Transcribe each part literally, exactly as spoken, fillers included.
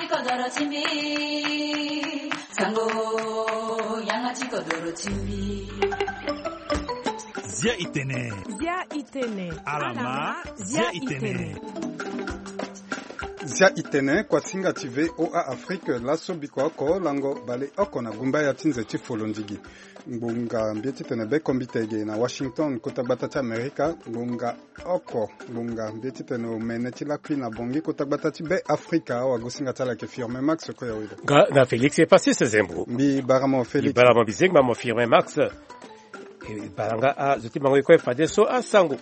Kodoro ti mbi, sango, yanga ti kodoro ti mbi. Zia itene. Zia itene. Alama, zia itene. Zia itene, kuasinga ti V O A Afrique, laso biko oko lango bale oko na gumba ya ti nze ti folondigi. Ngbonga mbi titene be kombite ge na Washington, kota gbata ti Amerika, ngbonga oko, ngbonga mbi titene omene ti lakui na Bongi, kota gbata ti be Afrika, wagosinga ti ala yeke Firmin Max, ko ya wele. Nga na Félix Epasis Zembo. Mbi bara mo Félix. Mbi bara mo bizengba mo Firmin Max. E bara nga azo ti mango ye kue fadeso asango.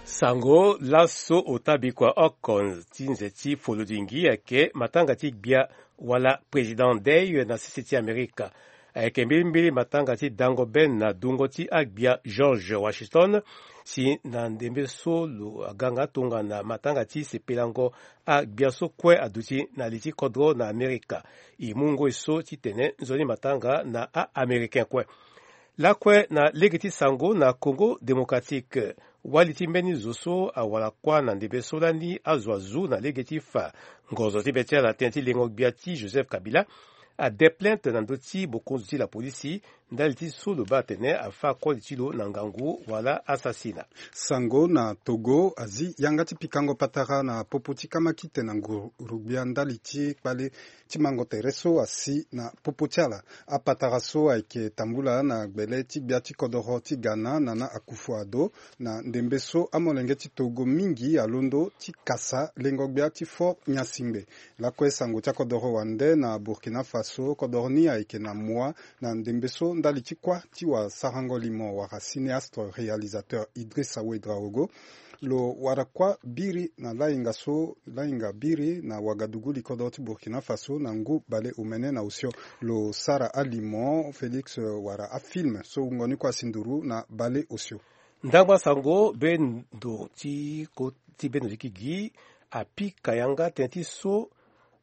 Sango laso ota bikua oko ti nze ti folodingi ayeke matanga ti gbia wala président Dey na sese ti Amerika. Ayeke mbirimbiri matanga ti dango be na dungo ti agbia George Washington, si na ndembe so lo aga nga tongana matanga ti sepelango agbia so kue aduti na li ti kodro na Amerika. E mu ngoi so titene nzoni matanga na a-Américain kue. Lakue na lege ti sango na Congo Démocratique, wali ti mbeni zo so awara kuâ na ndembe so lani azo azu na lege ti fa ngonzo ti be ti ala tënë ti lengo gbia ti Joseph Kabila ade plainte na ndö ti bokonzi ti lapolisi ndali ti so lo baa atene afâ koli ti lo na ngangu wala asasina. Sango na Togo azi yanga ti pikango patara na popo ti kamakite na nguru gbia ndali ti kpale ti mango tere so asi na popo ti ala. Apatara so ayeke tambula na gbele ti gbia ti kodoro ti Ghana, Nana Akufo-Addo, na ndembe so amolenge ti Togo mingi alondo ti kasa lengo gbia ti Fort Gnassingbé. Lakue sango ti akodoro wande na Burkina Faso, kodoro ni ayeke na moi na ndembe so ndali ti kuâ ti wasarango limo wala cinéaste réalisateur Idrissa Ouédraogo. Lo wara kuâ biri na lahinga so, lahinga biri na Ouagadougou, li kodro ti Burkina Faso, na ngu bale omene na osio. Lo sara alimo, Félix, wala afilm so wungo ni kue asi nduru na bale osio. Ndangba sango be ndo ti ko ti be ndo ti kigi apika yanga tënë ti so,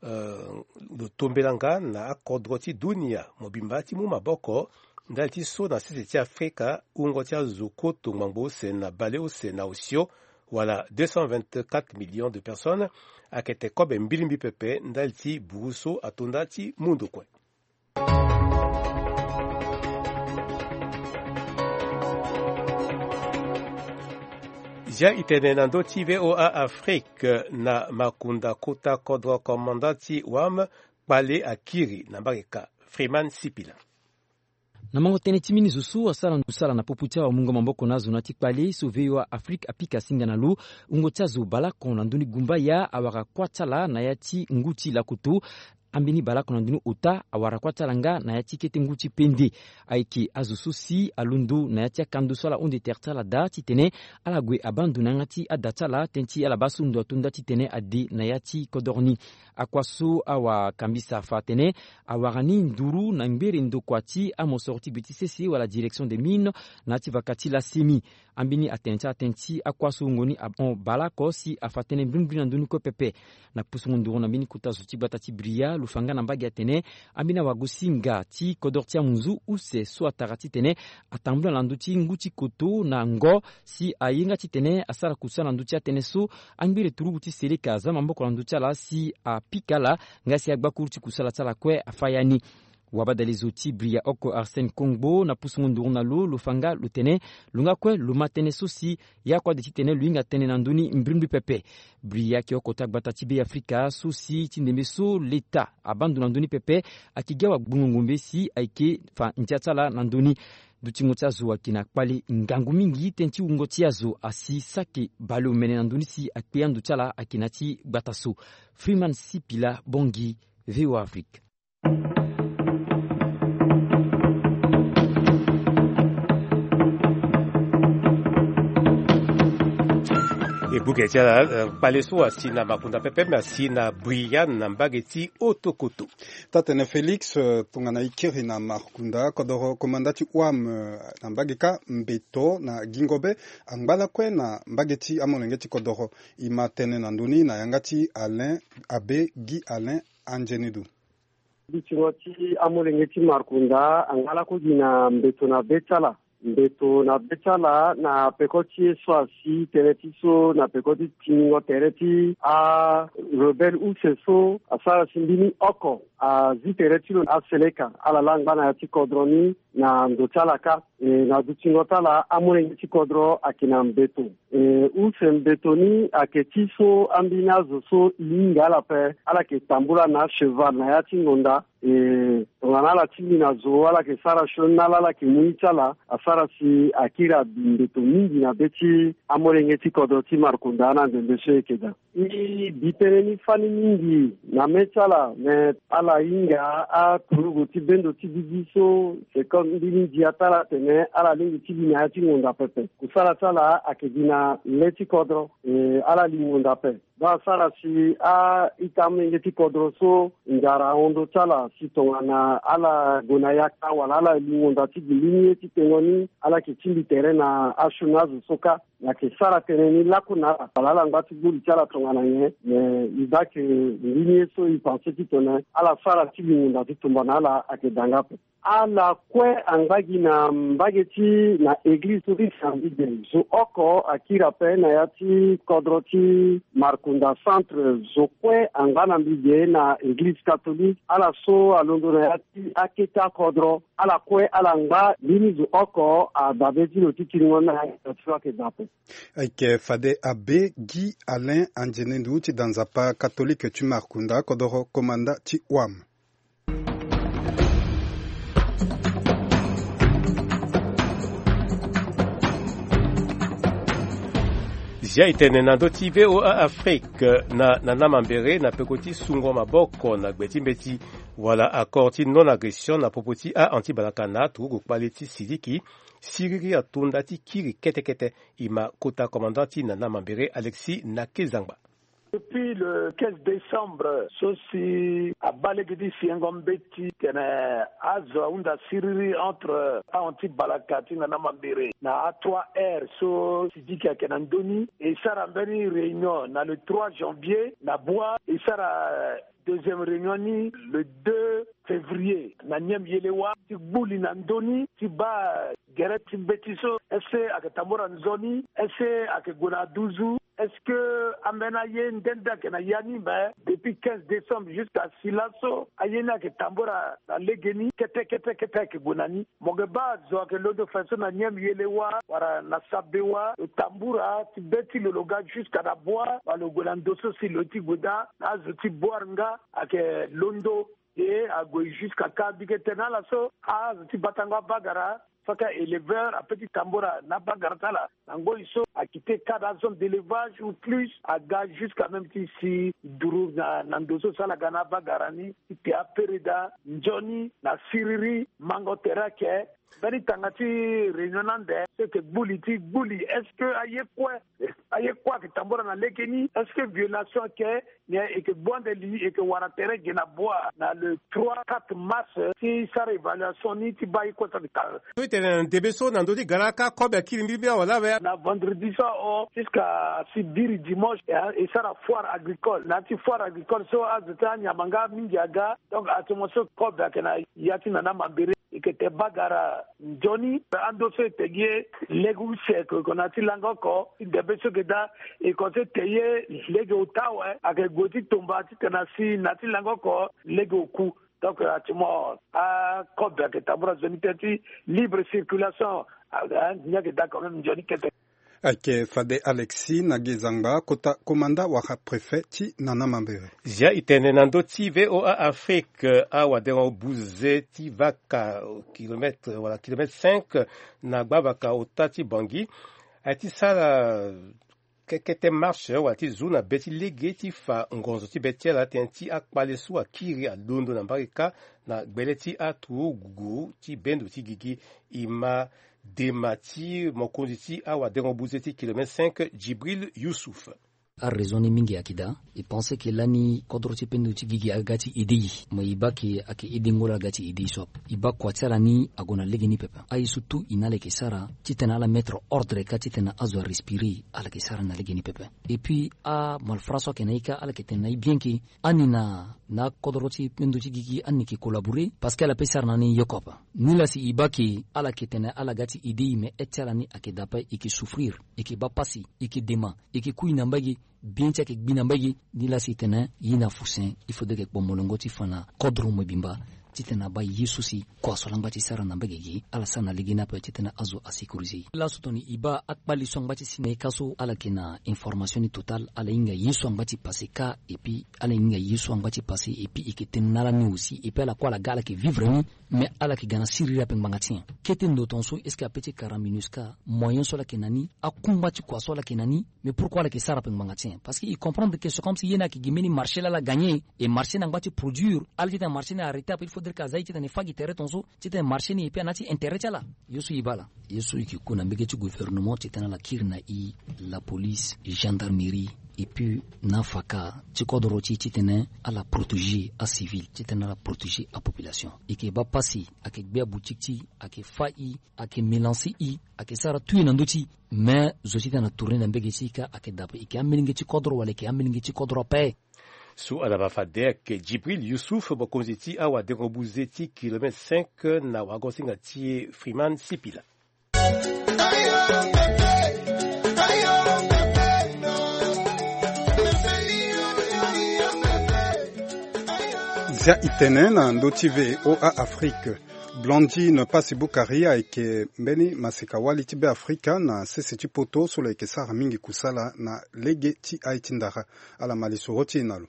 eh, lo tombela nga na akodro ti dunia mobimba ti mu maboko ndali ti so na sese ti Afrika wungo ti azo kuoto ngbangbo use na bale use na osio, wala deux cent vingt-quatre millions de personnes, ayeke te kobe mbirimbi pepe ndali ti buru so atonda ti mu ndo kue. Zia itene na ndö ti V O A Afrique, na makunda kota kodro komanda ti WAM kpale akiri na mbage ka. Freeman Sipila. Na mango tënë ti mbeni zo so asara ndo sala na popo ti awamungo maboko na azo na ya ti kpale so V O A Afrique apika singa na lo, wungo ti azo baleoko na ndö ni gumbaya awara kuâ ti ala na ya ti ngu ti lakoto. Ambeni baleoko na ndö ni ota awara kuâ ti ala nga na ya ti kete ngu ti pende. Ayeke azo so si alondo na ya ti akando so ala hunde tere ti ala daa titene ala gue abaa ndo na yanga ti ada ti ala tënë ti ala baa so ndo atonda titene ade na ya ti kodoro ni. Akua so awakambisa afa atene awara ni nduru na ngbere ndokua ti amosoro ti gbe ti sese wala direction des mines na ya ti vaka ti la semi. Ambeni atene ti ala tënë ti akua so wungo ni ahon baleoko si afa tënë mbrimbri na ndö ni kue pepe. Na pusungo nduru na mbeni kota zo ti gbata ti Bria lo fa nga na mbage atene ambeni awagosinga ti kodoro ti amunzu use so atara titene atambula na ndö ti ngu ti koto na ngo si aye nga titene asara kusala na ndö ti atënë so. Angbere turugu ti seleka aza maboko na ndö ti ala si apika ala nga si agbakuru ti kusala ti ala kue afa ya ni. Wabadalezo ti Bria oko Arsène Kongbo na pusungo nduru na lo lo fa nga lo tene lo nga kue lo ma tënë so si ya kue ade titene lo hinga tënë na ndö ni mbrimbri pepe. Bria ayeke oko ti agbata ti Be Afrika so si ti ndembe so leta abaa ndo na ndö ni pepe ayeke gi awagbongo ngombe si ayeke fa ndia ti ala na ndö ni. Dutingo ti azo ayeke na kpale ngangu mingi tënë ti wungo ti azo asi saki baleomene na ndö ni si akpe ando ti ala ayeke na ya ti gbata so. Freeman Sipila Bongi, V O A Afrique. E buke ti ala, eh, kpale so asi na makunda pepe me asi na Brian na mbage ti Otokoto. Tatene Félix, eh, tongana e kiri na makunda kodoro komanda ti WAM, eh, na mbage ka mbeto na gingo be angba lakue na mbage ti amolenge ti kodoro. E ma tënë na ndö ni na yanga ti Alain, Abbé Guy Alain Angenedo. Bitingo ti amolenge ti markunda angala kue gi na mbeto na be ti ala. mbeto na be ti ala na peko ti ye so asi tënë ti so na peko ti tingingo tere ti arebelle use so asara si mbeni oko azi tere ti lo na aseleka ala laa angba na ya ti kodro ni. Na ndo ti ala kâ, e, na dutingo ti ala amolenge ti kodro ayeke na mbeto. E, use mbeto ni ayeke ti so ambeni azo so e hinga ala ape, ala yeke tambula na acheval na ya ti ngonda. E, tongana ala tingbi na zo ala yeke sara sioni na ala, ala yeke mu ye ti ala asara si akiri abi mbeto mingi na be ti amolenge ti kodro ti Markunda na ndembe so e yeke daa. E bi tënë ni fani mingi na mê ti ala, me ala hinga aturugu ti bendo ti gigi so, c'est comme mbeni ndia ti ala atene ala lingbi ti bi na ya ti ngonda pepe. Kusala ti ala ayeke gi na le ti kodro. E, ala li ngonda ape. Baa asara si a-ita amolenge ti kodro so nzara ahon ndö ti ala si tongana ala gue na yaka wala ala li ngonda ti gi mbeni ye ti tengo ni, ala yeke tingbi tere na asioni azo so kâ. Ayeke sara tënë ni laku na ala wala ala ngba ti gbuli ti ala tongana nyen. Me e baa ke mbeni ye so e pense titene ala sara ti gi ngonda ti tumba na ala ayeke daa nga ape. Ala kue angba gi na mbage ti na eglize so ti Saint Vijay. Zo oko akiri ape na ya ti kodro ti Markunda centre. Zo kue angba na mbi ge na eglize catholique. Ala so alondo na ya ti akete akodro, ala kue ala ngba. Mbeni zo oko adabe ti lo ti kiringo ni na ya ti lo ayeke daa ape. Ayeke fade abe Guy Alain Andienendu ti da nzapa catholique ti Markunda, kodoro komanda ti wam. Zia e tene na ndö ti V O A Afrique na, na Nana Mambéré na peko ti sungo maboko na gbe ti mbeti wala accord ti non-agression na popo ti a-anti-balaka na aturugu kpale ti Sidiki, siriri atonda ti kiri kete kete. E ma kota commandant ti Nana Mambéré, Alexis Nakezangba. Depuis le quinze décembre so si abaa lege ti siengo mbeti tene azo ahunda siriri entre a-anti-balaka ti Nana Mambéré na a trois R so Sidiki ayeke na ndö ni, e sara mbeni réunion na le trois janvier na Bua. E sara deuxième réunion ni le deux février na Niemyelewa ti gbuli na ndö ni ti baa gere ti mbeti so, est-ce que ayeke tambula nzoni, est-ce que ayeke gue na aduzu, est-ce que ambeni aye nde nde ayeke na ya ni? Mais depuis quinze décembre jusqu'à si laso aye ni ayeke tambula na legeni kete kete kete ayeke gue na ni. Mo yeke baa azo ayeke londo fa so na Niemyelewa wala na Sabewa, lo tambula ti be ti lo lo ga jusqu'à na Bua wala lo gue na ndo so si lo ye ti gue daa na azo ti Bouar nga ayeke londo. E ague jusqu'à Kabi ke tene ala so azo ti batango abagara, saka éleveur ape ti tambula na abagara ti ala na ngoi so akite cadre azone d'élevage ou plus aga jusqu'à même ti si duru na, na ndo so si ala ga na abagara ni ti te apereda nzoni na siriri mango tere ayeke. Mbeni tanga ti réunion ni ande so e yeke gbuli ti gbuli, est-ce que aye kue, aye kue ayeke tambula na legeni? Est-ce que violation ayeke? Nyen e yeke gbu ande li, e yeke wara tere ge na Bua na le trois quatre mars ti sara évaluation ni ti baa ye kue so ayeke tanga. So e tene na ndembe so na ndö ti gara kâ kobe akiri mbirimbiri awala awe. Na vendredi so ahon jusqu'à si biri dimanche, e, e sara foire agricole. Na ya ti foire agricole so azo ti anyama nga mingi aga. Donc atimo so kobe ayeke na ya ti Nana Mambéré. E yeke te bagara nzoni ando so e te gi ye lege use ko, e ko na ya ti langa oko ti debe so e yeke daa. E ko so e te ye lege ota awe, ayeke gue ti tomba titene asi na ya ti langa oko lege oku. Donc atimo akobe ayeke tambula nzoni tënë ti libre circulation. Ni ayeke daa quand même nzoni kete. Ayeke fade Alexis Nakezangba, kota komanda wala préfet ti Nana Mambéré. Zia e tene na ndö ti V O A Afrique, awadengo buze ti vaka kilomètre wala kilomètre cinq na gbavaka ota ti Bangui aye ti sara kekete marche wala ti zu na be ti lege ti fa ngonzo ti be ti ala tënë ti akpale so akiri alondo na mbage kâ na gbele ti aturugu ti bendo ti gigi. E ma dema ti mokonzi ti awadengo buze ti kilomètre cinq, Djibril Youssouf. Araison ni mingi ayeke daa. E pense ke lani kodro ti pendo ti gigi aga ti aide e, me e baa ke ayeke aidengo laa aga ti aide e so ape. E baa kua ti ala ni ague na lege ni pepe. Aye so tout e na ala yeke sara titene ala mettre ordre kâ titene azo arespirer, ala yeke sara na lege ni pepe. Et puis amalfra so ayeke na e kâ ala yeke tene na e bien ke ani na na akodro ti pendo ti gigi ani yeke collaborer parce que ala pe sara na ni yoko ape. Nilaa si e baa ke ala yeke tene ala ga ti aide e, me aide ti ala ni ayeke daa ape, e yeke souffrir, e yeke baa pasi, e yeke dema, e yeke kui na mbage, bien ti ayeke gbi na mbage. Nilaa si e tene e na fusen, il faudrait ke kpo molongo ti fa na kodro mobimba titene abaa ye so si kua so ala ngba ti sara na mbage gi ala sara na lege ni ape titene azo asécuriser e. Laso tongana e baa akpali so angba ti si na e kâ so ala yeke na information ni totale, ala hinga ye so angba ti pase kâ. Et puis ala hinga ye so angba ti pase, et puis e yeke tene na ala ni aussi, et puis ala kue ala ga ala yeke vivre ni. Mais ala yeke ga na siriri ape ngbanga ti nyen? Kete ndo tongaso est-ce que ape ti kara MINUSCA, moyen so ala yeke na ni, akungba ti kua so ala yeke na ni, mais pourquoi ala yeke sara ape ngbanga ti nyen? Parce que e comprendre ke c'est comme si ye ni ayeke gi mbeni marché laa ala gagner, et marché ni angba ti produire. Ala titene marché ni arrêter ape, il faudrait ke aza e titene e fâ gi tere tongaso titene marché ni e pe ana ti intérêt ti ala. Ye so e baa laa, ye so e yeke ku na mbege ti gouvernement titene ala kiri na e, la police, gendarmerie, et puis na afaka ti kodro ti e titene ala protéger acivil, titene ala protéger apopulation. E yeke baa pasi, ayeke gbia boutique ti e, ayeke fâ e, ayeke mélancer e, ayeke sara tout e na ndö ti e. Mais zo titene atourner na mbege ti e kâ ayeke daa ape. E yeke amilenge ti kodro wala e yeke amilenge ti kodro ape? So ala baa fade ayeke Djibril Youssouf, mokonzi ti awadengo-buze ti kilomètre cinq na wagosinga ti e Freeman Sipila. Zia e tene na ndö ti V O A Afrique. Blandine Passy-Boucari ayeke mbeni maseka-wali ti Beafrika na sese ti poto so lo yeke sara mingi kusala na lege ti aye ti ndara. Ala ma lisoro ti e na lo.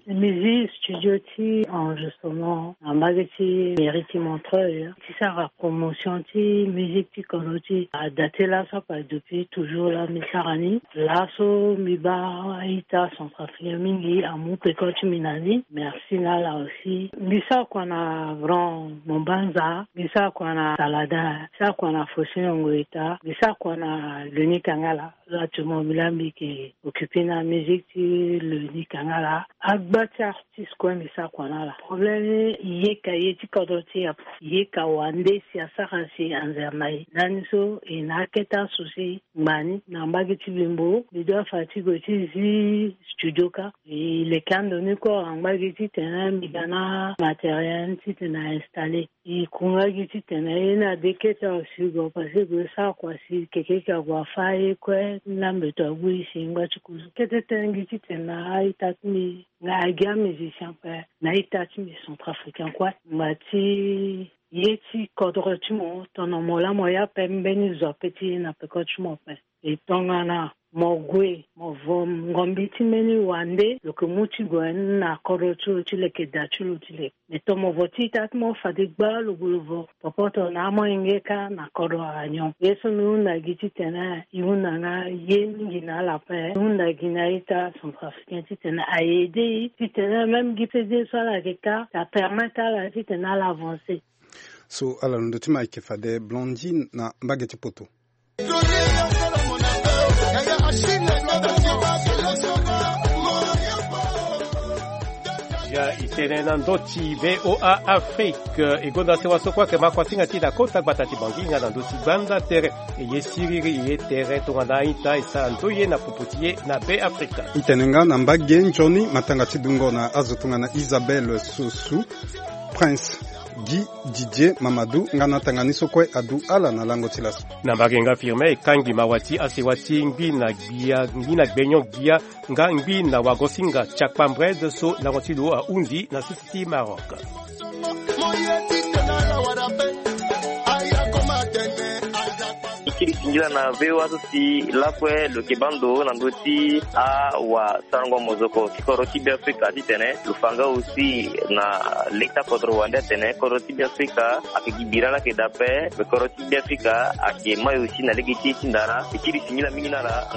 Musique studio ti enregistrement na mbage ti mairie ti Montreuil ti sara promotion ti musique ti kodro ti e. Ada ti laso ape depuis toujours laa mbi sara ni. Laso mbi baa a-ita centrafricain mingi amu peko ti mbi na ni. Merci na ala aussi. Mbi sara kua na Grand Mombanza, mbi sara kua na Salada, mbi sara kua na Faustin Ongoyeta, mbi sara kua na Leni Kangala. Là actuellement mbi laa mbi yeke occuper na musique ti Leni Kangala. Agba ti artiste kue mbi sara kua na ala. Problème ni, e yeka ye ti kodro ti e ape. E yeka wande si asara si anzere na e. Lani so e na akete aso si ngba ni na mbage ti Bembo, mbi doit fa ti gue ti zi studio kâ. E leke ando ni kue wala mbage titene mbi ga na matériel titene a installer. E ku nga gi titene ye ni ade kete awe si gue, parce que e gue sara kua si keke eke ague afâ ye kue, ni laa mbeto ague e si e ngba ti kuzu. Kete tënë gi titene na a-ita ti mbi nga agi amusicien ape na a-ita ti mbi centrafricain kue. Ngba ti ye ti kodro ti mo, tongana mo laa mo ye ape, mbeni zo ape ti ye na peko ti mo ape. E tongana mo gue mo vo ngombi ti mbeni wande, lo yeke mu ti gue na kodro ti lo ti leke, da ti lo ti leke. Me tongana mo vo ti ita ti mo fade gba lo gue lo vo popoto na amolenge kâ na kodro ala nyon. Ye so mbi hunda gi titene e hunda nga ye mingi na ala ape. E hunda gi na a-ita centrafricain titene a aide e titene même gi C D so ala yeke kâ, ça permettre ala titene ala avancer. So ala londo ti ma e yeke fade Blondine na mbage ti poto. Ya e tene na ndö ti V O A Afrique. E gonda sewa so kue ayeke ma kuasinga ti e na kota gbata ti Bangui nga na ndö ti gbanda tere. E ye siriri, e ye tere tongana a-ita e sara ndoye na popo ti e na Beafrika. E tene nga na mbage nzoni matanga ti dungo na azo tongana Isabelle Sossou, Prince Guy, Didier Mamadou nga na tanga ni so kue adu ala na lango ti laso. Na mbage nga Firmin e kangbi mawa ti asewa ti ngbi na gbia, ngbi na gbenyon gbia nga ngbi na wagosinga Tiakpa Mbred so lango ti lo ahundi na sese ti Maroc. E kiri singila na V O A so si lakue lo yeke baa ndo na ndö ti awasarango mozoko ti kodro ti Beafrika titene lo fa nga aussi na leta kodro wande atene kodro ti Beafrika ayeke gi bira laa ayeke daa ape, me kodro ti Beafrika ayeke mai aussi na lege ti ye ti ndara. E kiri singila mingi na ala.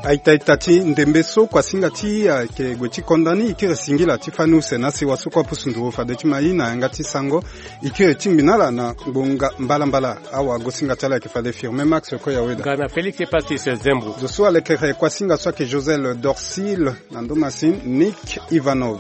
Aita ita ti ndembe so kuasinga ti ayeke gue ti konda ni, e kiri singila ti fani use na sewa so kue apusu nduru fade ti ma ye na yanga ti sango. E kiri tingbi na ala na ngbonga mbalambala. Awagosinga ti ala ayeke fade Firmin Max Koyaweda, ga na Félix Epasis Zembro. Zo so alekere kuasinga so ayeke Josel Dorsil, na ndo Masin Nick Ivanov.